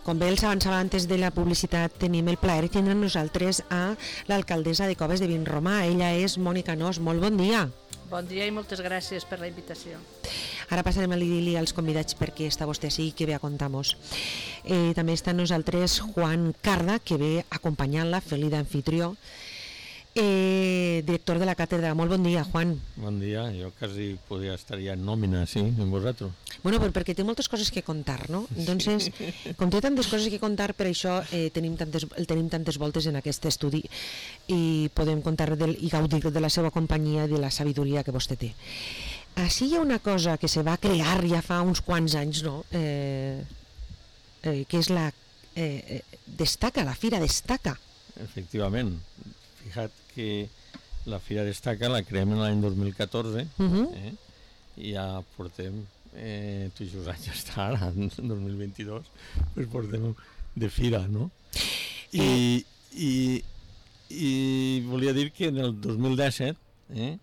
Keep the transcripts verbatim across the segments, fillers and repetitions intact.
Com bé els avançava antes de la publicitat, tenim el plaer de tindre amb nosaltres a l'alcaldessa de Coves de Vinromà. Ella és Mònica Nos. Molt bon dia. Bon dia i moltes gràcies per la invitació. Ara passarem a dir-li als convidats perquè està vostè així i que ve a contar-nos. Eh, també està amb nosaltres Juan Carda, que ve acompanyant-la, fent-li d'anfitrió. Eh, director de la càtedra. Molt bon dia, Juan. Bon dia, jo quasi podria estar ja en nòmina, sí, amb vosaltres. Bueno, però perquè té moltes coses que contar, no? Entonces, com té tantes coses que contar, per això eh, tenim, tantes, el tenim tantes voltes en aquest estudi i podem contar del, i gaudir de la seva companyia i de la sabidoria que vostè té. Així hi ha una cosa que se va crear ja fa uns quants anys, no? Eh, eh, que és la... Eh, destaca, la Fira Destaca. Efectivament. Fixa't que la Fira Destaca la creem en l'any dos mil catorze, uh-huh. eh? I ja portem, eh, tots els anys està ara, en dos mil vint-i-dos, pues portem de fira, no? I, i, i volia dir que en el dos mil disset eh,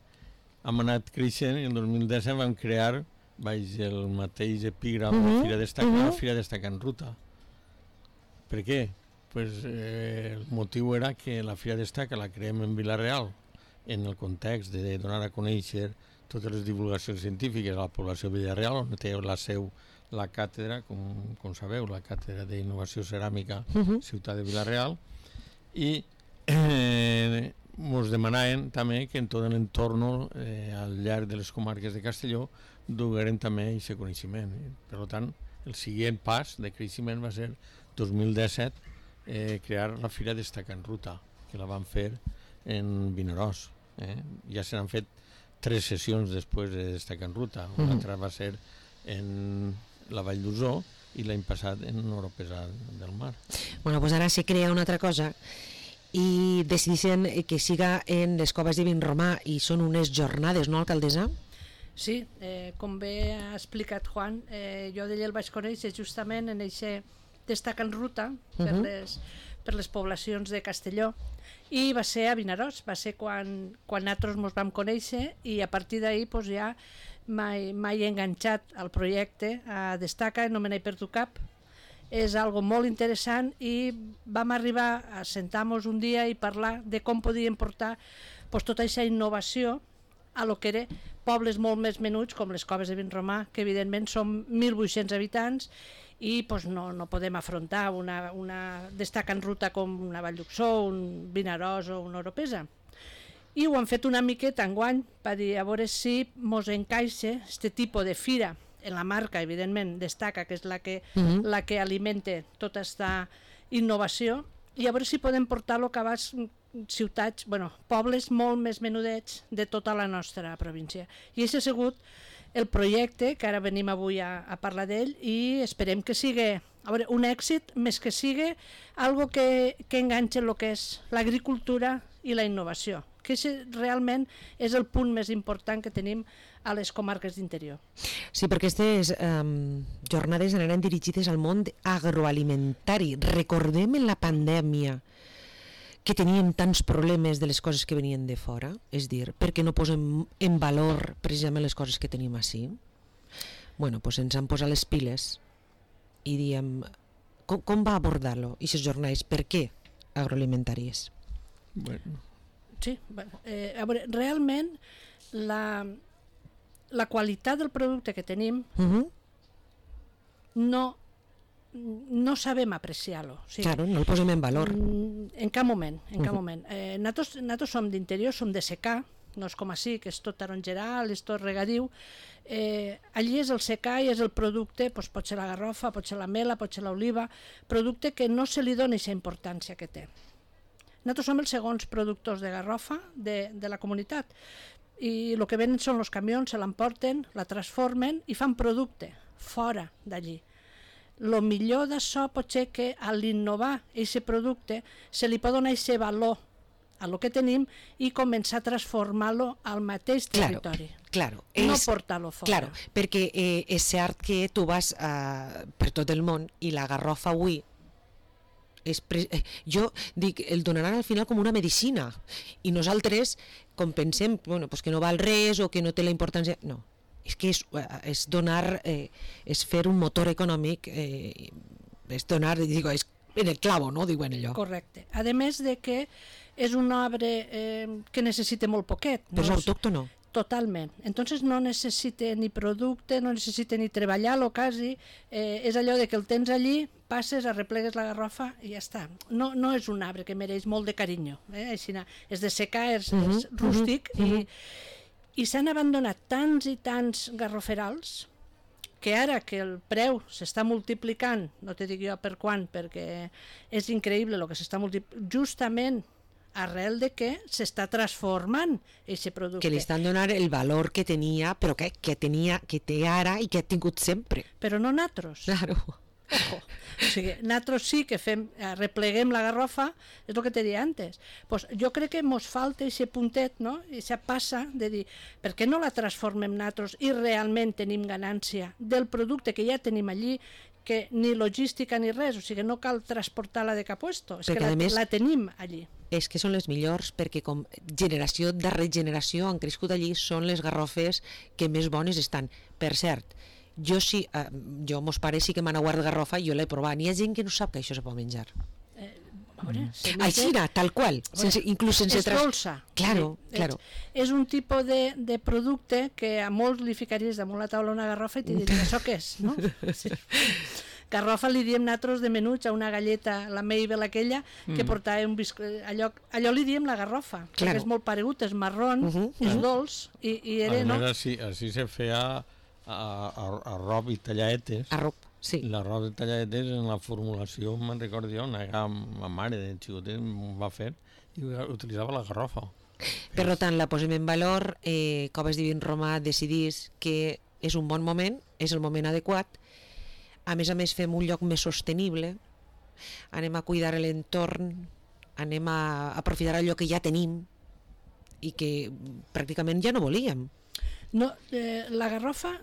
hem anat creixent i en el dos mil disset vam crear, baix el mateix epígram, uh-huh. la Fira Destaca, uh-huh. la Fira Destaca en ruta. Per què? Pues, eh, el motiu era que la Fira Destaca la creem en Vila-real en el context de donar a conèixer totes les divulgacions científiques a la població de Vila-real, on té la seu la càtedra, com, com sabeu, la càtedra d'Innovació Ceràmica, uh-huh. Ciutat de Vila-real, i eh, ens demanaven també que en tot l'entorn, eh, al llarg de les comarques de Castelló, dugueren també aquest coneixement. Per tant, el següent pas de creixement va ser dos mil disset, Eh, crear la Fira Destaca en ruta, que la van fer en Vinaròs. Eh? Ja se n'han fet tres sessions després de Destaca en ruta. Una mm. altra va ser en la Vall d'Osó i l'any passat en Oropesa del Mar. Bueno, pues ara se crea una altra cosa i decideixen que siga en les Coves de Vinromà i són unes jornades, no, alcaldessa? Sí, eh, com bé ha explicat Juan, eh, jo d'ella el vaig conèixer justament en aquest Destaca en ruta per, uh-huh. les, per les poblacions de Castelló i va ser a Vinaròs, va ser quan, quan nosaltres ens vam conèixer i a partir d'ahir pues, ja m'he enganxat al projecte a Destaca, no me n'he perdut cap. És algo molt interessant i vam arribar a sentar-nos un dia i parlar de com podíem portar pues, tota aquesta innovació a lo que eren pobles molt més menuts com les Coves de Vinromà, que evidentment són mil vuit-cents habitants i pues, no, no podem afrontar una, una Destaca en ruta com una Vall d'Uxó, un Vinaròs o una Oropesa. I ho han fet una miqueta enguany per dir a veure si mos encaixa aquest tipus de fira en la marca, evidentment, Destaca, que és la que, uh-huh. la que alimenta tota aquesta innovació, i a veure si podem portar-lo a abans ciutats, bueno, pobles molt més menudets de tota la nostra província. I aquest ha sigut el projecte que ara venim avui a, a parlar d'ell i esperem que sigui a veure, un èxit, més que sigui algo que, que enganxa el que és l'agricultura i la innovació, que realment és el punt més important que tenim a les comarques d'interior. Sí, perquè aquestes um, jornades anaran dirigides al món agroalimentari. Recordem en la pandèmia que teníem tants problemes de les coses que venien de fora, és dir, perquè no posem en valor precisament les coses que tenim així? Bueno, doncs ens han posat les piles i diem, com, com va abordar-lo, aquestes jornades, per què agroalimentàries? Bueno. Sí, bueno, eh, a veure, realment la, la qualitat del producte que tenim uh-huh. no no sabem apreciar-lo. O sigui, claro, no el posem en valor. En cap moment, en cap uh-huh. moment. Eh, nosaltres, nosaltres som d'interior, som de secà, no és com així, que és tot tarongeral, és tot regadiu. Eh, allí és el secà i és el producte, doncs pot ser la garrofa, pot ser la mela, pot ser l'oliva, producte que no se li dona aquesta importància que té. Nosaltres som els segons productors de garrofa de, de la comunitat i el que venen són els camions, se l'emporten, la transformen i fan producte fora d'allí. El millor d'això pot ser que a l'innovar aquest producte se li pot donar aquest valor a lo que tenim i començar a transformar-lo al mateix territori. Claro, claro, no és, portar-lo fora. Claro, perquè eh, és cert que tu vas eh, per tot el món i la garrofa avui és pre... eh, jo dic, el donaran al final com una medicina i nosaltres com pensem bueno, pues que no val res o que no té la importància, no, és que és, és donar eh, és fer un motor econòmic eh, és donar, digo, és en el clavo, no? Diuen allò. Correcte. A més de que és un arbre eh, que necessita molt poquet. Però és no? autòctono. Totalment. Entonces no necessita ni producte, no necessita ni treballar-lo quasi, eh, és allò de que el tens allí, passes, arreplegues la garrofa i ja està. No, no és un arbre que mereix molt de carinyo, eh? Així, és de secà, és, uh -huh, és rústic, uh -huh. i, i s'han abandonat tants i tants garroferals que ara que el preu s'està multiplicant, no te dic jo per quan, perquè és increïble el que s'està multiplicant, justament arrel de que s'està transformant aquest producte. Que li estan donant el valor que tenia, però que, que tenia, que té ara i que ha tingut sempre. Però no natros. Claro. Ojo. O sigui, natros sí que fem, repleguem la garrofa, és el que te deia antes. Pues jo crec que mos falta aquest puntet, no? Aquesta passa de dir, per què no la transformem natros i realment tenim ganància del producte que ja tenim allí, que ni logística ni res, o sigui, no cal transportar-la de cap puesto, és perquè que la, més, la tenim allí. És que són les millors, perquè com generació darrere generació han crescut allí, són les garrofes que més bones estan. Per cert, jo sí, eh, jo, mos pare sí que m'han aguardat garrofa i jo l'he provat. N'hi ha gent que no sap que això se pot menjar. Eh, a veure, mm. Així, tal qual, sense, inclús sense... És dolça. Claro, sí, claro. És, és un tipus de, de producte que a molts li ficaries damunt la taula una garrofa i t'hi diries, això què és? No? Sí. Garrofa li diem natros de menuts a una galleta, la Mabel aquella, que mm. portava un bisco... Allò, allò li diem la garrofa, claro. Perquè és molt paregut, és marrón, uh -huh, és uh -huh. dolç, i, i era, no? Així, així se feia arrop i talladetes. Arrop, sí. L'arrop i talladetes en la formulació, me'n recordo jo, una ma mare de xicotet m'ho va fer i utilitzava la garrofa. Per tant, la posem en valor, eh, Coves Divin Romà decidís que és un bon moment, és el moment adequat. A més a més fem un lloc més sostenible, anem a cuidar l'entorn, anem a aprofitar allò que ja tenim i que pràcticament ja no volíem. No, eh, la garrofa,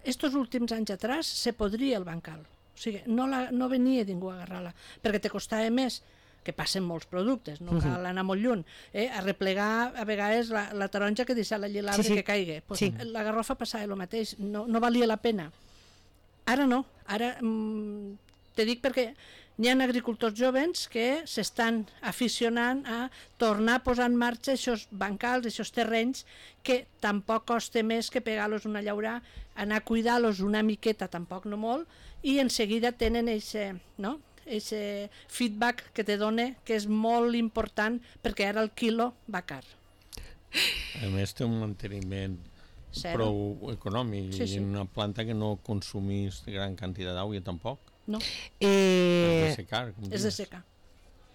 estos últims anys atrás, se podria el bancal. O sigui, no, la, no venia ningú a agarrar-la, perquè te costava més, que passen molts productes, no cal anar molt lluny, eh? A replegar a vegades la, la taronja que deixa allí l'arbre sí, sí. que caigui. Pues sí. La garrofa passava el mateix, no, no valia la pena. Ara no, ara mm, te dic perquè hi ha agricultors jovens que s'estan aficionant a tornar a posar en marxa aquests bancals, aquests terrenys, que tampoc costa més que pegar-los una llaurà, anar a cuidar-los una miqueta, tampoc no molt, i en seguida tenen aquest no? feedback que te dona, que és molt important, perquè ara el quilo va car. A més té un manteniment Zero. Prou econòmic, sí, sí. I en una planta que no consumís gran quantitat d'aigua tampoc. No. Eh, és de secar. És de secar.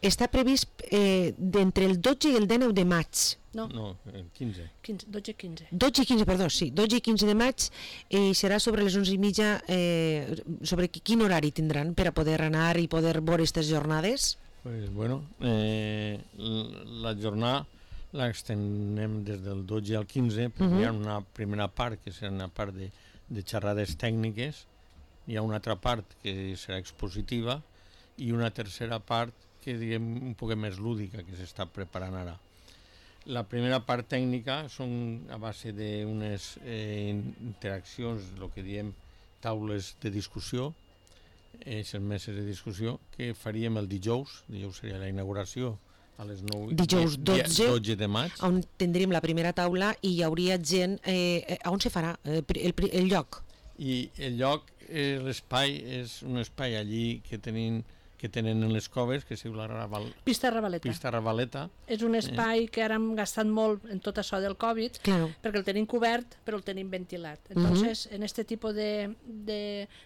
Està previst eh, d'entre el dotze i el dinou de maig. No, no el quinze. quinze, dotze i quinze. dotze i quinze, perdó, sí, dotze i quinze de maig, i serà sobre les onze i mitja, eh, sobre quin horari tindran per a poder anar i poder veure aquestes jornades? Pues bueno, eh, la jornada l'extenem des del dotze al quinze, perquè uh-huh. hi ha una primera part que serà una part de, de xerrades tècniques, hi ha una altra part que serà expositiva i una tercera part que diguem un poc més lúdica que s'està preparant ara. La primera part tècnica són a base d'unes eh, interaccions, el que diem taules de discussió, aquestes meses de discussió, que faríem el dijous, dijous seria la inauguració, a les nou, dijous dotze, dotze de maig, on tindríem la primera taula i hi hauria gent... Eh, on se farà el, el, el lloc? I el lloc, eh, l'espai, és un espai allí que tenim que tenen en les coves, que es diu la Raval... Pista Ravaleta. Pista Ravaleta. És un espai eh. que ara hem gastat molt en tot això del Covid, claro. Perquè el tenim cobert, però el tenim ventilat. Entonces, uh-huh. en este tipus de, de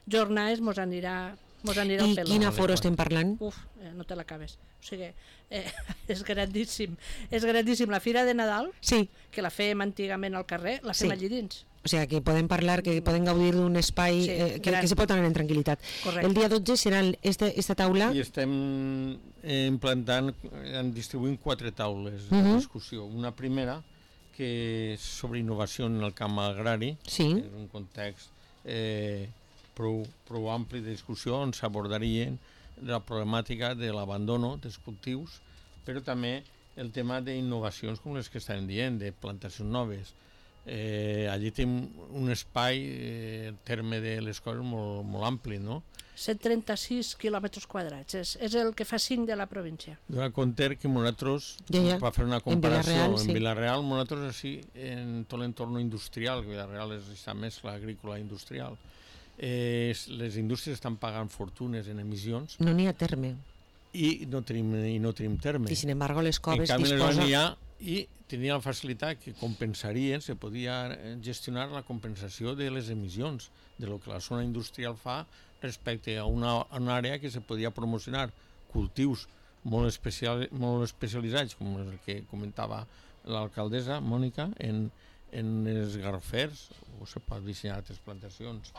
jornades mos anirà... Mos anirà I quin aforo estem parlant? Uf, eh, no te l'acabes. O sigui, eh, és grandíssim. És grandíssim. La Fira de Nadal, sí. que la fèiem antigament al carrer, la fem sí. allí dins. O sigui, que podem parlar, que podem gaudir d'un espai sí, eh, que, que se pot anar en tranquil·litat. Correcte. El dia dotze serà esta, esta taula... I estem implantant, distribuint quatre taules uh-huh. de discussió. Una primera, que és sobre innovació en el camp agrari, sí. és un context... Eh, Prou, prou ampli de discussió on s'abordarien la problemàtica de l'abandono dels cultius, però també el tema d'innovacions com les que estem dient, de plantacions noves. Eh, allí tenim un espai, eh, el terme de les coses, molt, molt ampli, no? cent trenta-sis quilòmetres quadrats, és, és el que fa cinc de la província. Dona compte que nosaltres, ja, ja. per fer una comparació, en Vila-real, en sí. Vila-real, nosaltres així, en tot l'entorn industrial, que Vila-real és aquesta mescla agrícola industrial, eh, les indústries estan pagant fortunes en emissions. No n'hi ha terme. I no tenim, i no tenim terme. I sin embargo les coves en canvi, disposa... les ha, i tenia la facilitat que compensarien, se podia gestionar la compensació de les emissions, de lo que la zona industrial fa respecte a una, a una àrea que se podia promocionar cultius molt, especial, molt especialitzats, com el que comentava l'alcaldessa Mònica, en, en els garrofers, o se pot dissenyar altres plantacions.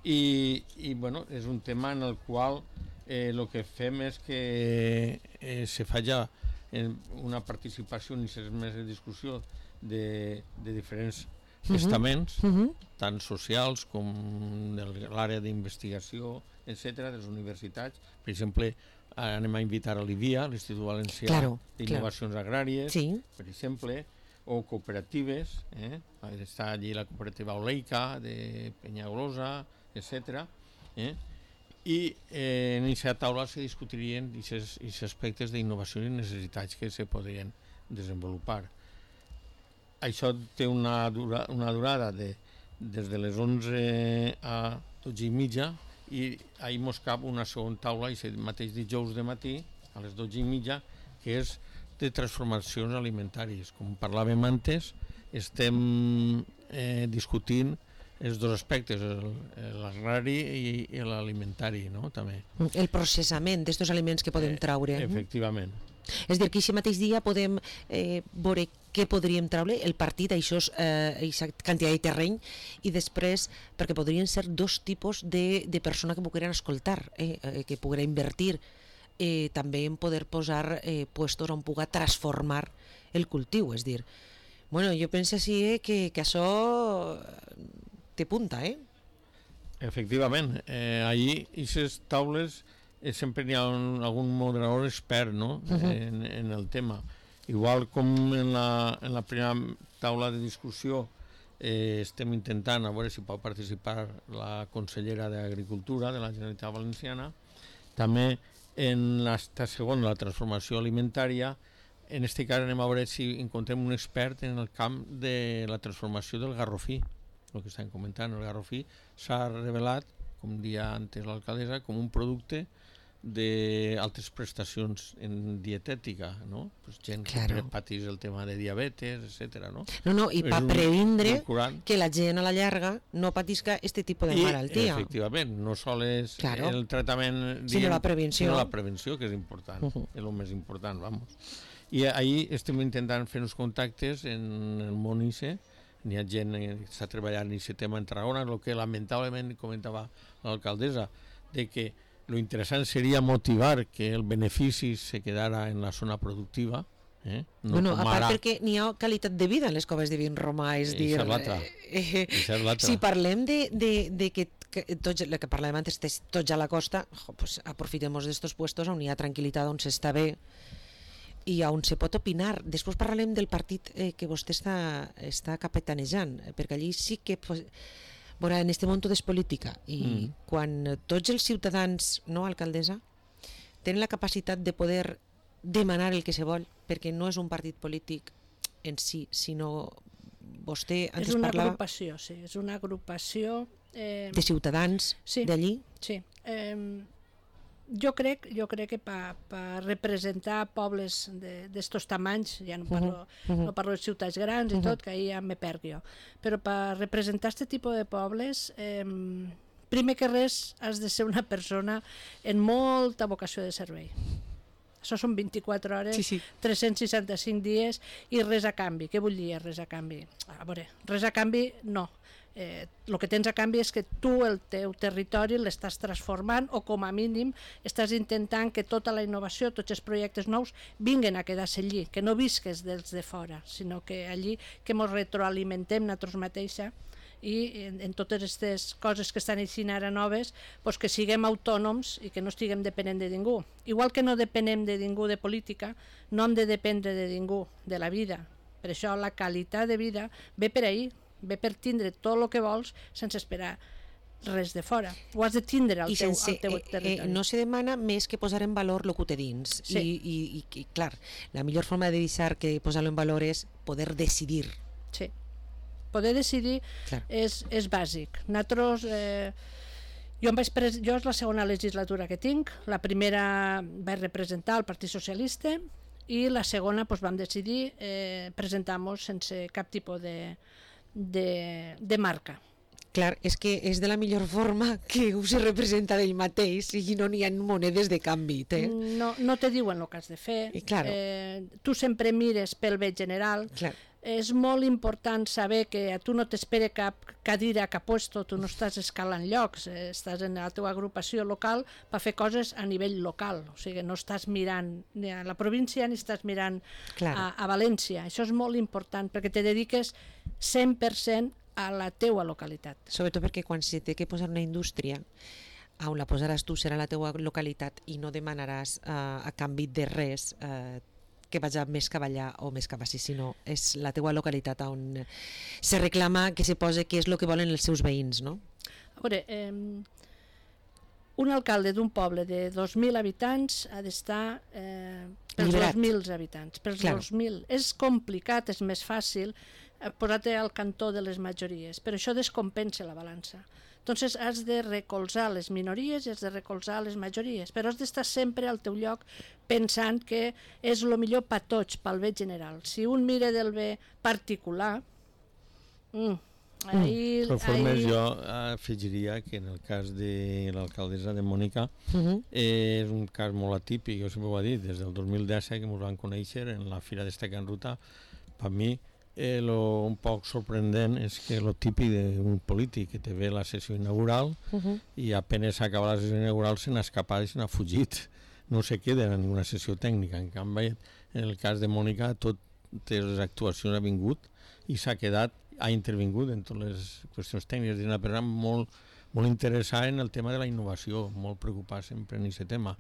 I, i bueno, és un tema en el qual eh, el que fem és que eh, se fa ja una participació i més de discussió de, de diferents uh-huh. estaments, uh-huh. tant socials com de l'àrea d'investigació, etcètera, de les universitats. Per exemple, anem a invitar a l'I V I A, l'Institut Valencià claro, d'Innovacions claro. Agràries, sí. per exemple, o cooperatives, eh? està allí la cooperativa Oleica, de Penyagolosa, etcètera. Eh? I eh, en aquesta taula se discutirien aquests aspectes d'innovació i necessitats que se podrien desenvolupar. Això té una, dura, una durada de, des de les onze a dotze i mitja i ahir mos cap una segona taula, i el mateix dijous de matí, a les dotze i mitja, que és de transformacions alimentàries. Com parlàvem antes, estem eh, discutint els dos aspectes, l'agrari i, i l'alimentari, no? També. El processament d'aquests aliments que podem traure. Eh, efectivament. És dir, que aquest mateix dia podem eh, veure què podríem traure, el partit, això és eh, quantitat de terreny, i després, perquè podrien ser dos tipus de, de persona que pogueren escoltar, eh, que pogueren invertir, eh, també en poder posar eh, puestos on puga transformar el cultiu, és dir, bueno, jo penso així eh, que, que això té punta, eh? Efectivament, eh, allí aquestes taules eh, sempre hi ha un, algun moderador expert, no? uh-huh. en, en el tema. Igual com en la, en la primera taula de discussió eh, estem intentant a veure si pot participar la consellera d'Agricultura de la Generalitat Valenciana, també en la segona, la transformació alimentària, en aquest cas anem a veure si encontrem un expert en el camp de la transformació del garrofí. El que estem comentant, el garrofí s'ha revelat, com dia antes l'alcaldessa, com un producte d'altres prestacions en dietètica, no? Pues gent claro. que patís el tema de diabetes, etcètera, no? No, no, i per previndre que la gent a la llarga no patisca aquest tipus de malaltia. I, efectivament, no sols claro. el tractament, sinó la prevenció. Sinó la prevenció, que és important, uh -huh. és el més important, vamos. I ahir estem intentant fer uns contactes en el món I C E, n'hi ha gent que està treballant en aquest tema en Tarragona, el que lamentablement comentava l'alcaldessa, de que lo interessant seria motivar que el benefici se quedara en la zona productiva. Eh? No bueno, a part ara... perquè n'hi ha qualitat de vida en les coves de Vinromà, és dir... Eh, eh, si parlem de, de, de que, que tots, el que parlàvem antes, tots a la costa, jo, pues, aprofitem d'estos puestos on hi ha tranquil·litat, on s'està bé i on se pot opinar. Després parlarem del partit eh, que vostè està, està capitanejant, perquè allí sí que... Pues, Veurà, en este món tot és política i mm. quan tots els ciutadans, no, alcaldessa, tenen la capacitat de poder demanar el que se vol, perquè no és un partit polític en si, sinó vostè antes és una parlava... agrupació, sí, és una agrupació... Eh, de ciutadans sí, d'allí? Sí, eh, jo crec, jo crec que per pa representar pobles d'estos de, tamanys, ja no parlo, uh -huh. no parlo de ciutats grans i uh -huh. tot, que ahir ja me perc jo, però per representar aquest tipus de pobles, eh, primer que res has de ser una persona en molta vocació de servei. Això són vint-i-quatre hores, sí, sí. tres-cents seixanta-cinc dies i res a canvi. Què vull dir res a canvi? A veure, res a canvi no. Eh, el que tens a canvi és que tu el teu territori l'estàs transformant o com a mínim estàs intentant que tota la innovació, tots els projectes nous vinguen a quedar-se allí, que no visques dels de fora, sinó que allí que ens retroalimentem nosaltres mateixa i en, en totes aquestes coses que estan eixint ara noves, pues que siguem autònoms i que no estiguem depenent de ningú. Igual que no depenem de ningú de política, no hem de dependre de ningú de la vida, Per això la qualitat de vida ve per ahir, ve per tindre tot el que vols sense esperar res de fora. Ho has de tindre al, I teu, sense, al teu territori. Eh, eh, no se demana més que posar en valor el que té dins. Sí. I, i, i, clar, la millor forma de deixar que posar-lo en valor és poder decidir. Sí. Poder decidir Clar. és, és bàsic. Nosaltres... Eh, jo, em vaig pres... jo és la segona legislatura que tinc. La primera vaig representar el Partit Socialista i la segona doncs, vam decidir eh, presentar-nos sense cap tipus de, de, de marca. Clar, és que és de la millor forma que ho se representa d'ell mateix i no n'hi ha monedes de canvi. Té. No, no te diuen el que has de fer. I, claro. eh, tu sempre mires pel bé general. Clar. És molt important saber que a tu no t'espera cap cadira, cap puesto, tu no estàs escalant llocs, eh, estàs en la teva agrupació local per fer coses a nivell local, o sigui, no estàs mirant ni a la província ni estàs mirant a, a València. Això és molt important perquè te dediques cent per cent a la teua localitat. Sobretot perquè quan se té que posar una indústria, on la posaràs tu serà la teua localitat i no demanaràs uh, a canvi de res uh, que vaig més cap allà o més cap així, sinó és la teua localitat on se reclama que se posi què és el que volen els seus veïns, no? A veure, eh, un alcalde d'un poble de dos mil habitants ha d'estar eh, pels Liberat. dos mil habitants, pels Claro. dos mil. És complicat, és més fàcil eh, posar-te al cantó de les majories, però això descompensa la balança. Entonces has de recolzar les minories i has de recolzar les majories, però has d'estar sempre al teu lloc pensant que és el millor per tots, pel bé general. Si un mira del bé particular, mm, ahir... De totes formes, ahir... jo afegiria que en el cas de l'alcaldessa de Mònica Uh -huh. eh, és un cas molt atípic, jo sempre ho he dit, des del dos mil disset que ens van conèixer en la Fira d'Estaca en Ruta, per mi Eh, lo un poc sorprendent és que lo típic d'un polític que te ve la sessió inaugural Uh -huh. i apenas acaba la sessió inaugural se n'ha escapat i se n'ha fugit, no se queda en ninguna sessió tècnica. En canvi, en el cas de Mònica, totes les actuacions ha vingut i s'ha quedat, ha intervingut en totes les qüestions tècniques. És una persona molt, molt interessada en el tema de la innovació, molt preocupada sempre en aquest tema.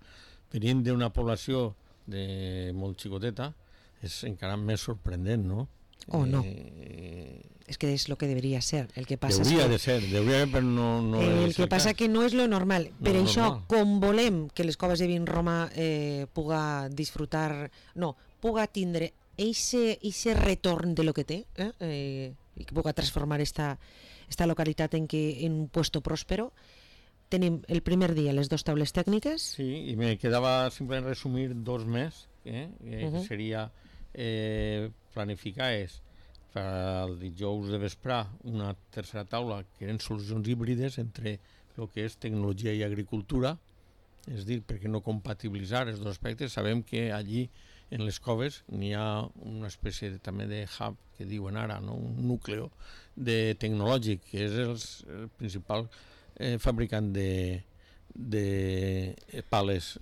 Venint d'una població de molt xicoteta és encara més sorprendent, no? O no. Eh, És que és el que deberia ser. El que passa Deuria és que, de ser, deuria, però no, no el és que el passa cas. que no és lo normal. No Per és això, normal. com volem que les coves de Vin Roma eh, puga disfrutar, no, puga tindre eixe, eixe retorn de lo que té, eh, eh, i que puga transformar esta, esta localitat en, que, en un puesto próspero, tenim el primer dia les dues taules tècniques. Sí, i me quedava simplement resumir dos més, eh, eh, Uh -huh. que seria eh, planificar és per el dijous de vesprà una tercera taula que eren solucions híbrides entre el que és tecnologia i agricultura, és dir, perquè no compatibilitzar els dos aspectes. Sabem que allí en les coves n'hi ha una espècie de, també de hub que diuen ara, no? Un núcleo de tecnològic que és els, el principal eh, fabricant de, de pales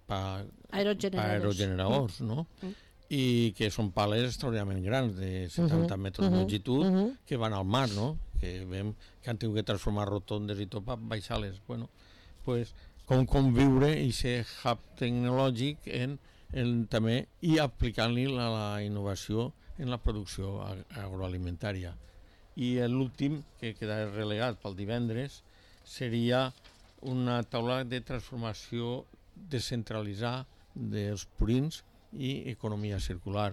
per Aerogeneradors. aerogeneradors, no? Mm. I que són pales extraordinàriament grans, de setanta Uh-huh, metres de uh-huh, longitud, uh-huh. que van al mar, no? Que veiem que han tingut que transformar rotondes i tot per baixar-les. Bueno, pues, com conviure aquest hub tecnològic en, en, també i aplicant-li la, la innovació en la producció ag agroalimentària. I l'últim, que queda relegat pel divendres, seria una taula de transformació descentralitzar dels purins i economia circular.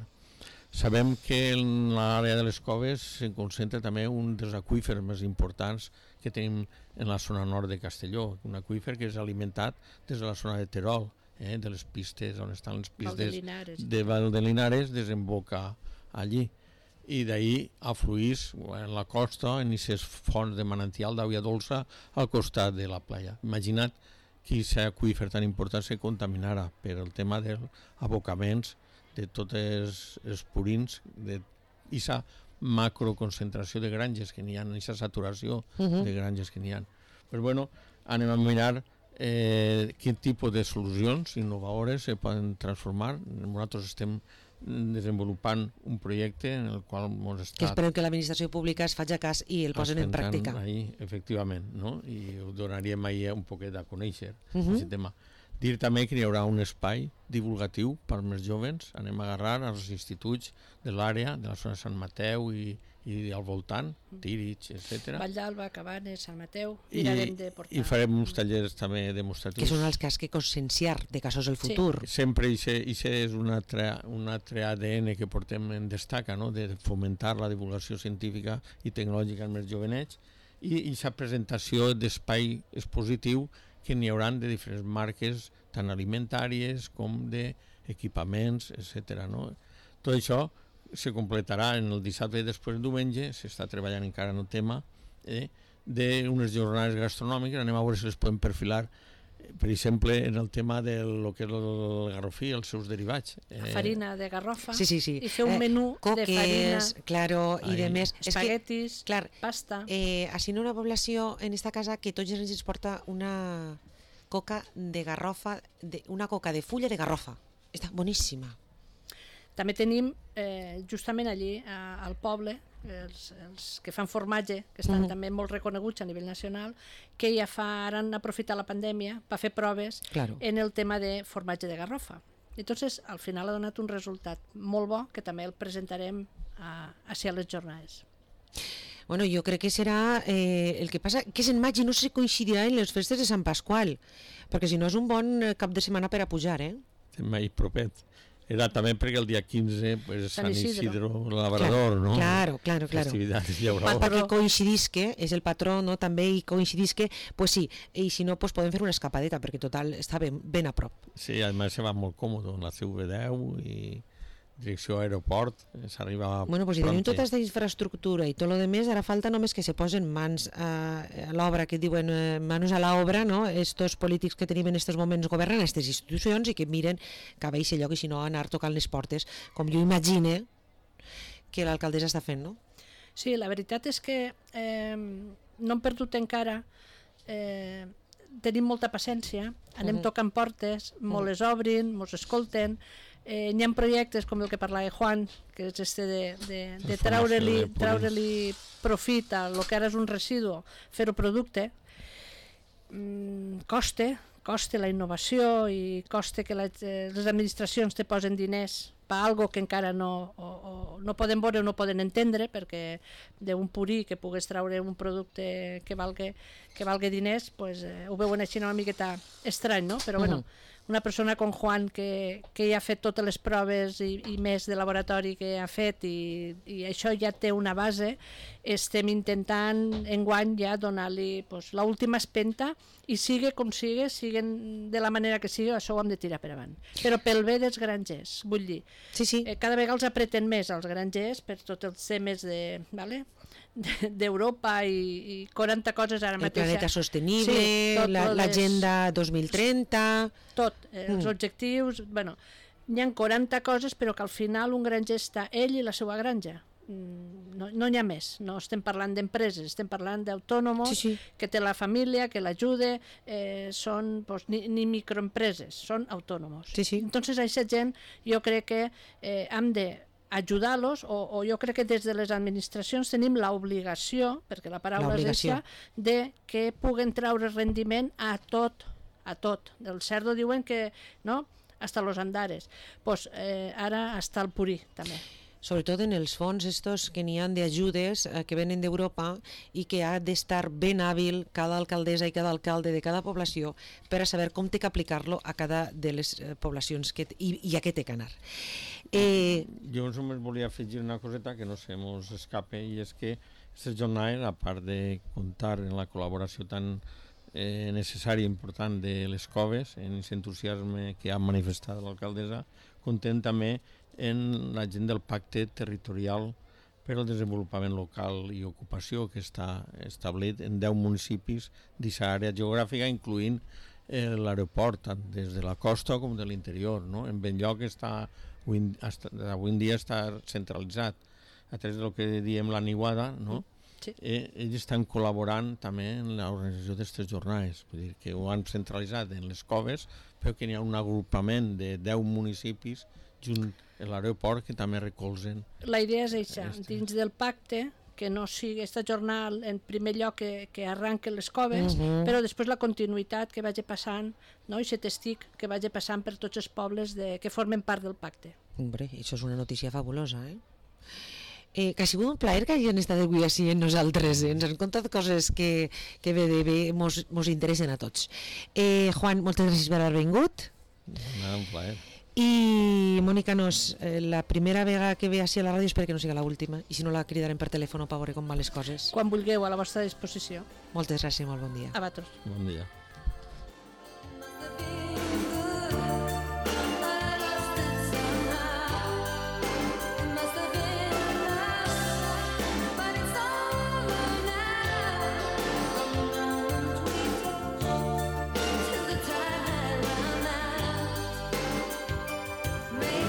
Sabem que en l'àrea de les coves se concentra també un dels aqüífers més importants que tenim en la zona nord de Castelló, un aqüífer que és alimentat des de la zona de Terol, eh, de les pistes on estan les pistes de Val de Linares, desemboca allí. I d'ahir afluís en la costa, en aquestes fonts de manantial d'aigua dolça al costat de la playa. Imagina't que aquest aqüífer tan important se contaminara per el tema dels abocaments de tots els, els purins, d'aquesta macroconcentració de granges que n'hi ha, aquesta saturació Uh-huh. de granges que n'hi ha. Però bueno, anem a mirar eh, quin tipus de solucions innovadores se poden transformar. Nosaltres estem desenvolupant un projecte en el qual ens està... Que esperem que l'administració pública es faci cas i el posen en pràctica. Ahí, efectivament, no? I ho donaríem ahir un poquet a conèixer, Uh-huh. aquest tema. Dir també que hi haurà un espai divulgatiu per als joves. Anem a agarrar als instituts de l'àrea, de la zona de Sant Mateu i, i al voltant, Tírig, etcètera. Vall d'Alba, Cabanes, Sant Mateu, I, mirarem de portar. I farem uns tallers també demostratius. Que són els que has que conscienciar de casos del futur. Sí. Sempre això és un altre, un altre A D N que portem en Destaca, no? De fomentar la divulgació científica i tecnològica amb els jovenets, i aquesta presentació d'espai expositiu que n'hi haurà de diferents marques, tant alimentàries com d'equipaments, etcètera. No? Tot això se completarà en el dissabte i després el diumenge, s'està treballant encara en el tema, eh, d'unes jornades gastronòmiques. Anem a veure si les podem perfilar, per exemple, en el tema de lo que és el garrofí, els seus derivats. Eh, farina de garrofa, sí, sí, sí. I fer un eh, menú coques, de farina, claro, i de més. Espaguetis, es que, clar, pasta. Eh, així una població en esta casa que tots els anys ens porta una coca de garrofa, de, una coca de fulla de garrofa. Està boníssima. També tenim, eh, justament allí, a, al poble, els, els que fan formatge, que estan mm. també molt reconeguts a nivell nacional, que ja fa, ara han aprofitat la pandèmia per fer proves claro. en el tema de formatge de garrofa. Entonces, al final ha donat un resultat molt bo, que també el presentarem a, a, a les jornades. Bueno, jo crec que serà eh, el que passa, que és en maig i no se coincidirà en les festes de Sant Pasqual, perquè si no és un bon cap de setmana per a pujar, eh? Mai propet. Era també perquè el dia quinze pues, Sant Isidro, el Labrador, claro, no? Claro, claro, claro. Festivitats llaurades. Perquè coincidisque, és el patró, no? També i coincidisque, pues sí, i si no, pues podem fer una escapadeta, perquè total està ben, ben a prop. Sí, a més se va molt còmode, en la C V deu i direcció a aeroport, s'arriba bueno, pues si tenim tota aquesta infraestructura i tot lo demés, ara falta només que se posen mans a, a l'obra, que diuen eh, manos a l'obra, no? Estos polítics que tenim en aquests moments governen aquestes institucions i que miren cap a aquest lloc, i si no anar tocant les portes, com jo imagine que l'alcaldessa està fent, no? Sí, la veritat és que eh, no hem perdut encara, eh, tenim molta paciència, anem uh-huh. tocant portes, molt uh-huh. les obrin, mos escolten. Eh, hi ha projectes com el que parlava Juan, que és este de, de, de treure-li treure-li profit a el que ara és un residu, fer-ho producte. Mm, coste, coste la innovació i coste que les, les administracions te posen diners per algo que encara no, o, o, no poden veure o no poden entendre, perquè d'un purí que pugues treure un producte que valgui, que valgui diners, pues, eh, ho veuen així una miqueta estrany, no? Però bueno, uh-huh. una persona com Juan que, que ja ha fet totes les proves i, i més de laboratori que ha fet i, i això ja té una base, estem intentant enguany ja donar-li pues, l'última espenta i sigue com sigue, siguen de la manera que sigui, això ho hem de tirar per avant. Però pel bé dels grangers, vull dir, sí, sí. Eh, cada vegada els apreten més els grangers per tots els temes de... Vale? d'Europa i, i quaranta coses ara mateix. El planeta sostenible, sí, l'agenda les... dos mil trenta... Tot, eh, mm. els objectius... Bueno, hi ha quaranta coses, però que al final un granger està ell i la seva granja. No, no n'hi ha més, no estem parlant d'empreses, estem parlant d'autònoms, sí, sí. que té la família, que l'ajuda, eh, són pues, ni, ni microempreses, són autònoms. Sí, sí. Entonces, a aquesta gent jo crec que eh, hem de ajudar-los, o, o jo crec que des de les administracions tenim l'obligació, perquè la paraula és això, de que puguen treure rendiment a tot, a tot. Del cerdo diuen que, no?, hasta los andares. Pues eh, ara hasta el purí, també. Sobretot en els fons estos que n'hi ha d'ajudes eh, que venen d'Europa i que ha d'estar ben hàbil cada alcaldessa i cada alcalde de cada població per a saber com té que aplicar-lo a cada de les eh, poblacions que i, i a què té que anar. Eh... Jo només volia afegir una coseta que no se mos escape, i és que aquestes jornades, a part de comptar en la col·laboració tan eh, necessària i important de les coves, en aquest entusiasme que ha manifestat l'alcaldessa, comptem també en la gent del pacte territorial per al desenvolupament local i ocupació que està establit en deu municipis d'aquesta àrea geogràfica, incloent eh, l'aeroport, tant des de la costa com de l'interior, no? En Benlloc està, avui, hasta, avui en dia està centralitzat a través del que diem la niuada, no? Sí. Eh, ells estan col·laborant també en l'organització d'aquestes jornades, vull dir que ho han centralitzat en les coves, però que n'hi ha un agrupament de deu municipis junt a l'aeroport que també recolzen. La idea és això, dins del pacte, que no sigui esta jornal en primer lloc que, que arranquen les coves, Mhm. però després la continuïtat que vagi passant, no? I aquest estic que vagi passant per tots els pobles de, que formen part del pacte. Hombre, això és una notícia fabulosa, eh? Eh, que ha sigut un plaer que hagin estat avui així amb nosaltres, eh? Ens han contat coses que, que bé, bé, bé mos, mos interessen a tots. Eh, Juan, moltes gràcies per haver vingut. Nada, un plaer. I Mònica Nos, eh, la primera vegada que ve així a la ràdio espero que no sigui l'última, i si no la cridarem per telèfon per veure com van les coses. Quan vulgueu, a la vostra disposició. Moltes gràcies, molt bon dia. A vosaltres. Bon dia.